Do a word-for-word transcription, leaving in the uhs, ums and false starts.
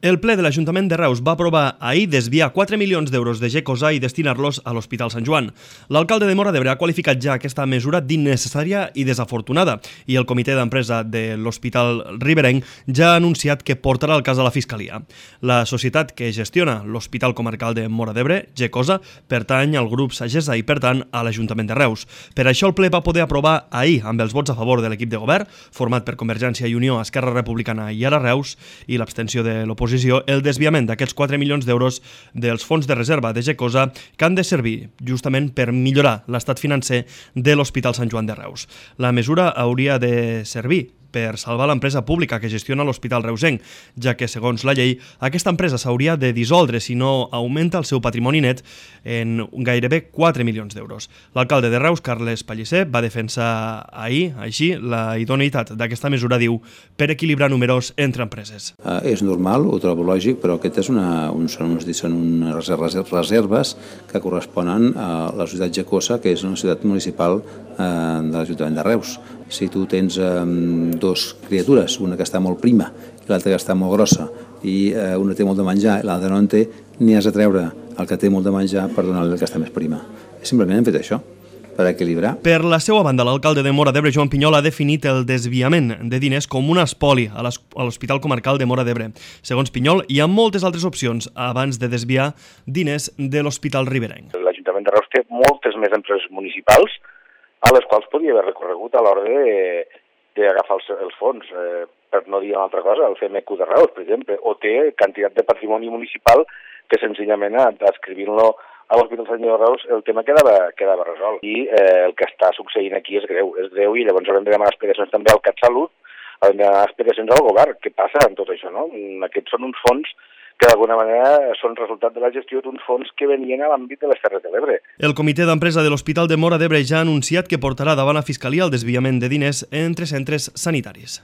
El ple de l'Ajuntament de Reus va aprovar ahir desviar quatre milions d'euros de Gecosa i destinar-los a l'Hospital Sant Joan. L'alcalde de Móra d'Ebre ha qualificat ja aquesta mesura d'innecessària i desafortunada i el comitè d'empresa de l'Hospital Riberenc ja ha anunciat que portarà el cas a la Fiscalia. La societat que gestiona l'Hospital Comarcal de Móra d'Ebre, Gecosa, pertany al grup Sagessa i, per tant, a l'Ajuntament de Reus. Per això el ple va poder aprovar ahir, amb els vots a favor de l'equip de govern, format per Convergència i Unió, Esquerra Republicana i Ara Reus, i l'abstenció de l'oposició, el desviament d'aquests quatre milions d'euros dels fons de reserva de Gecosa que han de servir justament per millorar l'estat financer de l'Hospital Sant Joan de Reus. La mesura hauria de servir per salvar l'empresa pública que gestiona l'Hospital Reusenc, ja que, segons la llei, aquesta empresa s'hauria de dissoldre si no augmenta el seu patrimoni net en gairebé quatre milions d'euros. L'alcalde de Reus, Carles Pellicer, va defensar ahir, així, la idoneïtat d'aquesta mesura, diu, per equilibrar números entre empreses. Uh, és normal, ho trobo lògic, però aquest és una, un, són, uns, són unes reserves que corresponen a la societat Gecosa, que és una societat municipal uh, de l'Ajuntament de Reus. Si tu tens um, dos criatures, una que està molt prima i l'altra que està molt grossa, i eh, una té molt de menjar i l'altra no en té, n'hi has de treure el que té molt de menjar per donar-li el que està més prima. Simplement hem fet això, per equilibrar. Per la seva banda, l'alcalde de Móra d'Ebre, Joan Pinyol, ha definit el desviament de diners com un espoli a l'Hospital Comarcal de Móra d'Ebre. Segons Pinyol, hi ha moltes altres opcions abans de desviar diners de l'Hospital Riberenc. L'Ajuntament de Reus té moltes més empreses municipals a les quals podria haver recorregut a l'hora de d'agafar els, els fons, eh, per no dir una altra cosa, el C M Q de Reus, per exemple, o té quantitat de patrimoni municipal que senzillament adscrivint-lo a l'Hospital Sant Joan de Reus el tema quedava, quedava resolt. I eh, el que està succeint aquí és greu, és greu i llavors haurem de demanar explicacions també al CatSalut, haurem de demanar explicacions al govern. Què passa amb tot això, no? Aquests són uns fons que d'alguna manera són resultat de la gestió d'uns fons que venien a l'àmbit de les Terres de l'Ebre. El comitè d'empresa de l'Hospital de Móra d'Ebre ja ha anunciat que portarà davant la Fiscalia el desviament de diners entre centres sanitaris.